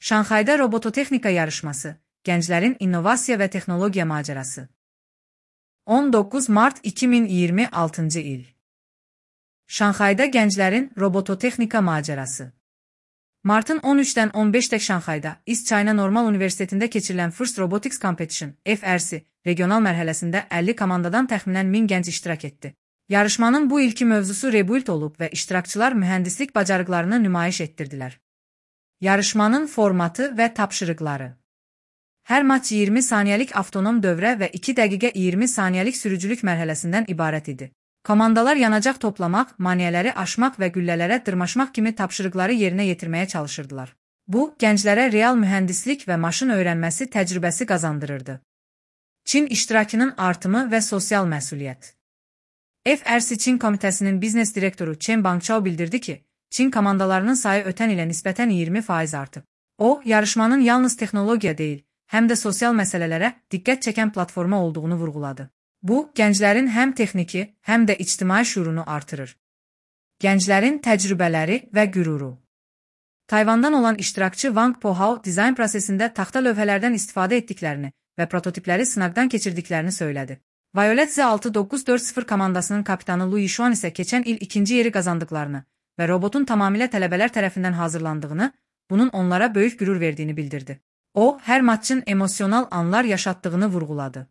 Şanxayda robototexnika yarışması, gənclərin innovasiya və texnologiya macərası. 19 mart 2026-cı il. Şanxayda gənclərin robototexnika macərası. Martın 13-dən 15-dək Şanxayda East China Normal Universitetində keçirilən First Robotics Competition (FRC) regional mərhələsində 50 komandadan təxminən 1000 gənc iştirak etdi. Yarışmanın bu ilki mövzusu rebuild olub və iştirakçılar mühəndislik bacarıqlarını nümayiş etdirdilər. Yarışmanın formatı və tapşırıqları. Hər maç 20 saniyəlik avtonom dövrə və 2 dəqiqə 20 saniyəlik sürücülük mərhələsindən ibarət idi. Komandalar yanacaq toplamaq, maneələri aşmaq və güllələrə dırmaşmaq kimi tapşırıqları yerinə yetirməyə çalışırdılar. Bu, gənclərə real mühəndislik və maşın öyrənməsi təcrübəsi qazandırırdı. Çin iştirakının artımı və sosial məsuliyyət. FRC Çin komitəsinin biznes direktoru Chen Bangchao bildirdi ki, Çin komandalarının sayı ötən ilə nisbətən 20% artıb. O, yarışmanın yalnız texnologiya deyil, həm də sosial məsələlərə diqqət çəkən platforma olduğunu vurğuladı. Bu, gənclərin həm texniki, həm də ictimai şüurunu artırır. Gənclərin təcrübələri və qüruru. Tayvandan olan iştirakçı Wang Pohao dizayn prosesində taxta lövhələrdən istifadə etdiklərini və prototipləri sınaqdan keçirdiklərini söylədi. Violet Z6940 komandasının kapitanı Lu Yishuan isə keçən il ikinci yeri qazandıqlarını və robotun tamamilə tələbələr tərəfindən hazırlandığını, bunun onlara böyük qürur verdiyini bildirdi. O, hər maçın emosional anlar yaşatdığını vurğuladı.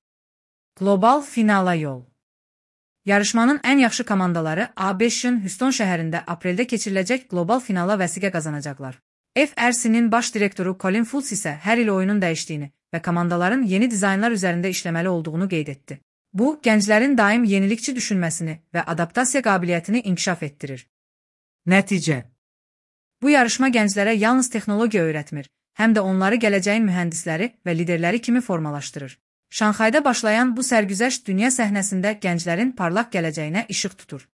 Qlobal finala yol. Yarışmanın ən yaxşı komandaları A5-in Houston şəhərində apreldə keçiriləcək qlobal finala vəsiqə qazanacaqlar. FRC-nin baş direktoru Colin Fultz isə hər il oyunun dəyişdiyini və komandaların yeni dizaynlar üzərində işləməli olduğunu qeyd etdi. Bu, gənclərin daim yenilikçi düşünməsini və adaptasiya qabiliyyətini inkişaf etdirir. Nəticə. Bu yarışma gənclərə yalnız texnologiya öyrətmir, həm də onları gələcəyin mühəndisləri və liderləri kimi formalaşdırır. Şanxayda başlayan bu sərgüzəşt dünya səhnəsində gənclərin parlaq gələcəyinə işıq tutur.